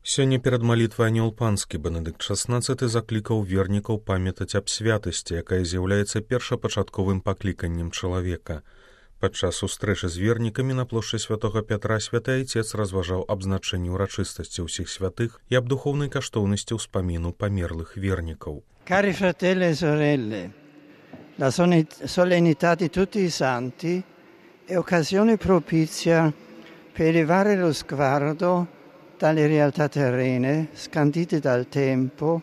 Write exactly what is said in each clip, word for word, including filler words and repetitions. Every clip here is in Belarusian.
Сёння перад малітвай анёл панскі Бенедыкт шаснаццаты заклікаў вернікаў памятаць аб святасці, якая з'яўляецца першапачатковым пакліканнем чалавека. Падчас сустрэчы з вернікамі на плошчы святога Пятра святы айцец разважаў аб значэнні ўрачыстасці ўсіх святых і аб духоўнай каштоўнасці ўспаміну памерлых вернікаў. Cari fratelli e sorelle, la solennità di tutti i santi è occasione propizia per elevare lo sguardo dalle realtà terrene, scandite dal tempo,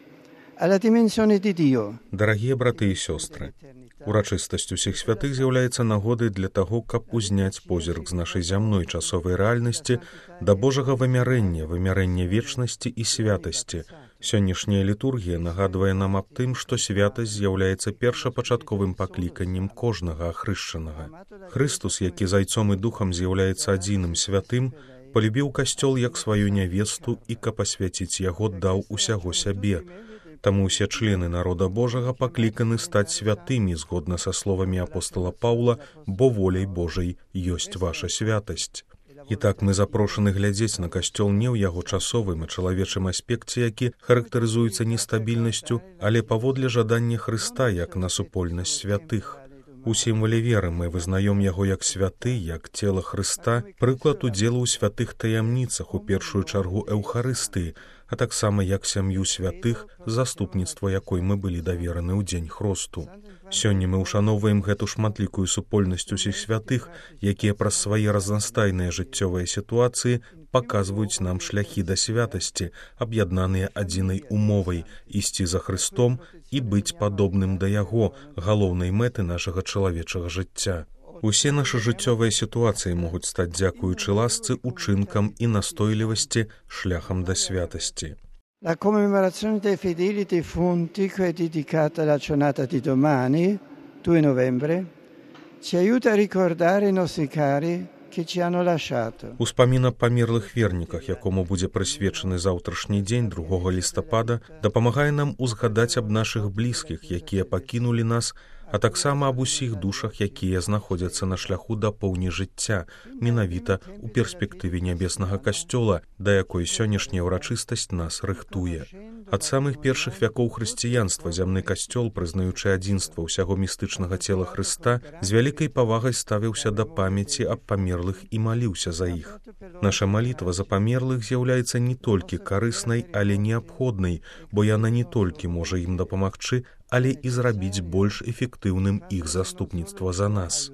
alla dimensione di Dio. Дарагія браты і сёстры, урачыстасць усіх святых з'яўляецца нагодай для таго, каб узняць позірк з нашай зямной часовай рэальнасці да Божага вымярэння, вымярэння вечнасці і святасці. Сённяшняя літургія нагадвае нам аб тым, што святасць з'яўляецца першапачатковым пакліканнем кожнага ахрышчанага. Хрыстус, які зайцом і духам з'яўляецца адзіным святым, полюбіў касцёл як сваю нявесту і, каб асвяціць яго, даў усяго сябе. Таму ўсе члены народа Божага пакліканы стаць святымі згодна са словамі апостола Паўла, бо воляй Божай ёсць ваша святасць. І так мы запрошаны глядзець на касцёл не ў яго часовым і чалавечым аспекце, які характарызуецца нестабільнасцю, але паводле жадання Хрыста як на супольнасць святых. У сімвале веры мы вызнаём яго як святы, як цела Хрыста, прыклад удзелу ў святых таямніцах, у першую чаргу Эўхарыстыі, а таксама як сям'ю святых, заступніцтва якой мы былі давераны ў дзень хросту. Сёння мы ўшаноўваем гэту шматлікую супольнасць усіх святых, якія праз свае разнастайныя жыццёвыя сітуацыі паказваюць нам шляхі да святасці, аб'яднаныя адзінай умовай ісці за Хрыстом і быць падобным да Яго, галоўнай мэты нашага чалавечага жыцця. Усе нашы жыццёвыя сітуацыі могуць стаць, дзякуючы ласцы, учынкам і настойлівасці шляхам да святасці. La commemorazione dei fedeli defunti, che è dedicata alla giornata di domani, due novembre, ci aiuta a ricordare i nostri cari che ci hanno lasciato. Успамін аб памерлых верніках, якому будзе прысвечаны заўтрашні дзень другога лістапада, дапамагае нам узгадаць аб нашых блізкіх, якія пакінулі нас, а таксама аб усіх душах, якія знаходзяцца на шляху да поўні жыцця, менавіта ў перспектыве нябеснага касцёла, да якой сённяшняя ўрачыстасць нас рыхтуе. Ад самых першых вякоў хрысціянства зямны касцёл, прызнаючы адзінства ўсяго містычнага цела Хрыста, з вялікай павагай ставіўся да памяці аб памерлых і маліўся за іх. Наша малітва за памерлых з'яўляецца не толькі карыснай, але неабходнай, бо яна не толькі можа ім дапамагчы, але і зрабіць больш эфектыўным іх заступніцтва за нас.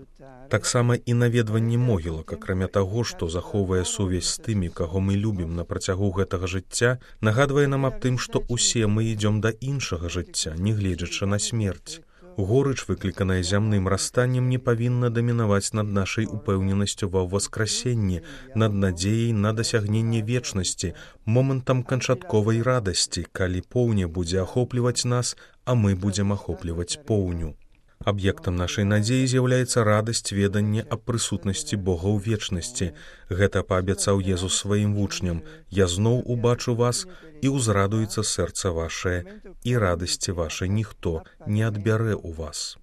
Таксама і наведванне могілак, акрамя таго, што захоўвае сувязь з тымі, каго мы любім на працягу гэтага жыцця, нагадвае нам аб тым, што ўсе мы ідзём да іншага жыцця, не гледзячы на смерць. Горыч, выкліканая зямным расстаннем, не павінна дамінаваць над нашай упэўненасцю ва ўваскрасенні, над надзеяй на дасягненне вечнасці, момантам канчатковай радасці, калі поўня будзе ахопліваць нас, а мы будзем ахопліваць поўню. Аб'ектам нашай надзеі з'яўляецца радасць ведання аб прысутнасці Бога ў вечнасці. Гэта паабяцаў Езус сваім вучням: «Я зноў убачу вас, і ўзрадуецца сэрца вашае, і радасці вашай ніхто не адбярэ ў вас».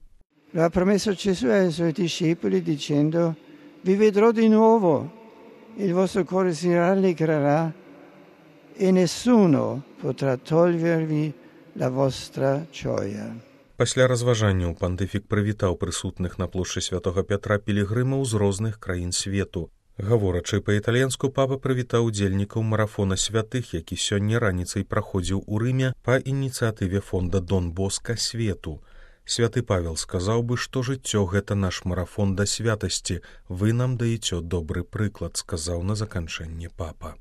Lo ha promesso Gesù ai suoi discepoli dicendo: «Vi vedrò di nuovo, il vostro cuore si rallegrerà e nessuno potrà togliervi la vostra gioia». Пасля разважанняў пантыфік прывітаў прысутных на плошчы святога Пятра пілігрымаў з розных краін свету. Гаворачы па-італьянску, папа прывітаў удзельнікаў марафона святых, які сёння раніцай праходзіў у Рыме па ініцыятыве фонда Дон Боска свету. Святы Павел сказаў бы, што жыццё гэта наш марафон да святасці. Вы нам даеце добры прыклад, сказаў на заканчэнне папа.